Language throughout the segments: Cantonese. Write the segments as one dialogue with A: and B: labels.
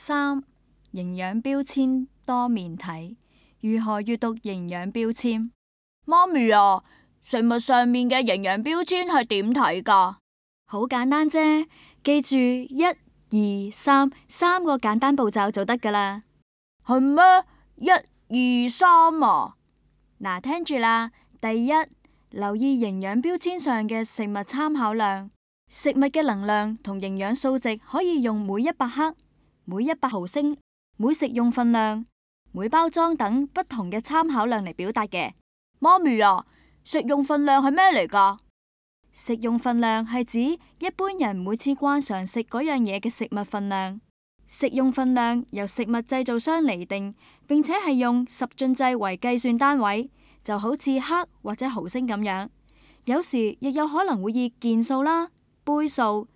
A: 3. 營養標籤多面睇，如何閱讀營養標籤？
B: 媽咪啊，食物上面嘅營養標籤係點睇㗎？
A: 好簡單啫，記住1、2、3三個簡單步驟就得㗎啦。
B: 係咩？1、2、3啊？
A: 嗱，聽住啦。第一，留意營養標籤上嘅食物參考量。食物嘅能量同營養數值可以用每100克、每100毫升、每食用份量、每包裝等不同嘅參考量嚟表達嘅。
B: 媽咪啊，食用份量係咩嚟㗎？
A: 食用份量係指一般人每次慣常食嗰樣嘢嘅食物份量。食用份量由食物製造商釐定，並且係用十進制為計算單位，就好似克或者毫升咁樣。有時亦有可能會以件數啦、杯數、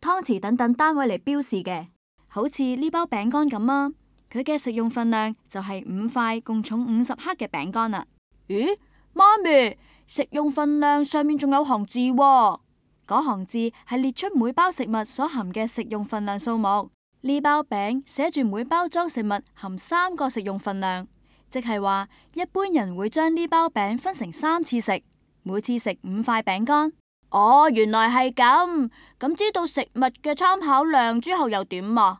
A: 湯匙等等單位嚟標示嘅。好似呢包餅乾咁啊，佢嘅食用份量就係5塊共重50克嘅餅乾啦。
B: 咦，媽咪，食用份量上面仲有行字喎。
A: 嗰行字係列出每包食物所含嘅食用份量數目。呢包餅寫住每包裝食物含3個食用份量，即係話一般人會將呢包餅分成3次食，每次食5塊餅乾。
B: 哦，原來係咁。咁知道食物嘅參考量之後又點啊？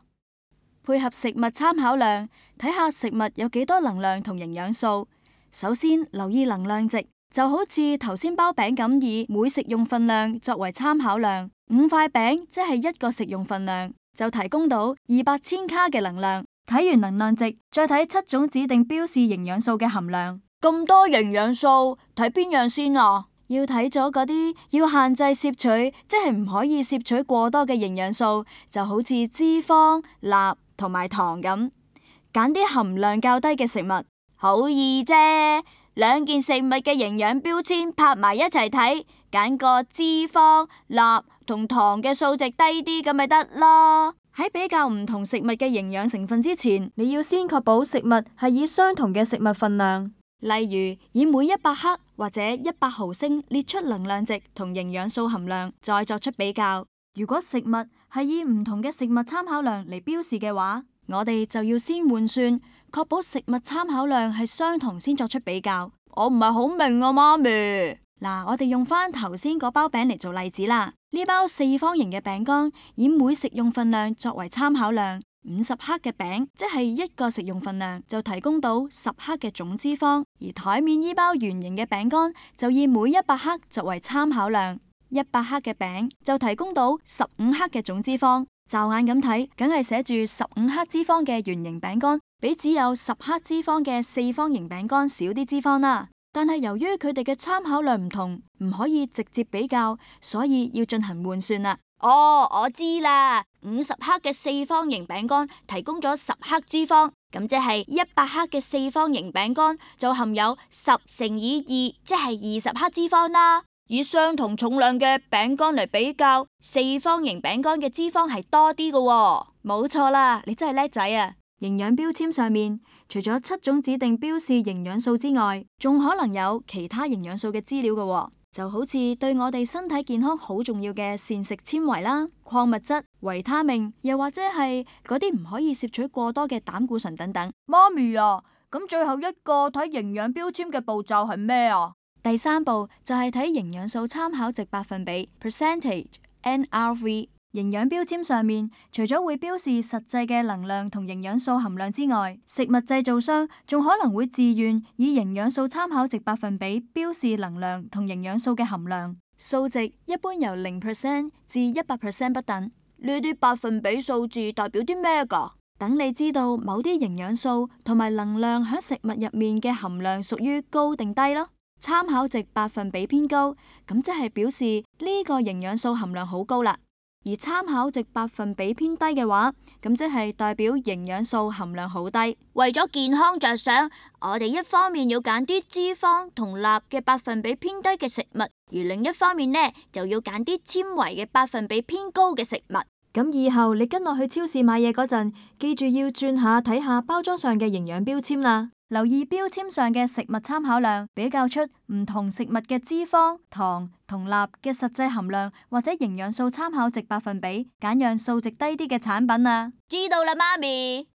A: 配合食物參考量，睇下食物有幾多能量同營養素。首先留意能量值，就好似頭先包餅咁，以每食用份量作為參考量，5塊餅即係1個食用份量，就提供到200千卡嘅能量。睇完能量值，再睇7種指定標示營養素嘅含量。
B: 咁多營養素，睇邊樣先啊？
A: 要睇咗嗰啲要限制攝取，即係唔可以攝取過多嘅營養素，就好似脂肪、鈉同埋糖咁，揀啲含量較低嘅食物。
B: 好易啫，2件食物嘅營養標籤拍埋一齊睇，揀個脂肪、鈉同糖嘅數值低啲咁咪得咯。
A: 喺比較唔同食物嘅營養成分之前，你要先確保食物係以相同嘅食物份量，例如以每100克或者100毫升列出能量值同營養素含量，再作出比較。如果食物係以唔同嘅食物參考量嚟標示嘅話，我哋就要先換算，確保食物參考量係相同先作出比較。
B: 我唔係好明啊，媽咪。
A: 嗱，我哋用翻頭先嗰包餅嚟做例子啦。呢包4方形嘅餅乾以每食用份量作為參考量，50克嘅餅即係1個食用份量，就提供到10克嘅總脂肪。而台面呢包圓形嘅餅乾就以每100克作為參考量，100克嘅餅就提供到15克嘅總脂肪。驟眼咁睇，梗係寫住15克脂肪嘅圓形餅乾，比只有10克脂肪嘅4方形餅乾少啲脂肪啦。但係由於佢哋嘅參考量唔同，唔可以直接比較，所以要進行換算啦。
B: 哦，我知啦，50克嘅4方形餅乾提供咗10克脂肪，咁即係100克嘅4方形餅乾就含有10乘以2，即係20克脂肪啦。以相同重量嘅餅乾嚟比較，4方形餅乾嘅脂肪係多啲㗎喎。
A: 冇錯啦，你真係叻仔啊！營養標籤上面除咗7種指定標示營養素之外，仲可能有其他營養素嘅資料㗎喎，就好似對我哋身體健康好重要嘅膳食纖維啦、礦物質、維他命，又或者係嗰啲唔可以攝取過多嘅膽固醇等等。
B: 媽咪啊，咁最後一個睇營養標籤嘅步驟係咩啊？
A: 第3步就係睇營養素參考值百分比 percentage NRV。營養標籤上面除咗會標示實際嘅能量同營養素含量之外，食物製造商仲可能會自願以營養素參考值百分比標示能量同營養素嘅含量。數值一般由0% 至100% 不等。
B: 呢啲百分比數字代表啲咩㗎？
A: 等你知道某啲營養素同埋能量喺食物入面嘅含量屬於高定低咯。參考值百分比偏高，咁即係表示呢個營養素含量好高啦。而參考值百分比偏低嘅話，咁即係代表營養素含量好低。
B: 為咗健康着想，我哋一方面要揀啲脂肪同鈉嘅百分比偏低嘅食物，而另一方面呢，就要揀啲纖維嘅百分比偏高嘅食物。
A: 咁以後你跟我去超市買嘢嗰陣，記住要轉下睇下包裝上嘅營養標籤啦。留意標籤上嘅食物參考量，比較出唔同食物嘅脂肪、糖同鈉嘅實際含量或者營養素參考值百分比，揀樣數值低啲嘅產品啊。
B: 知道啦，媽咪。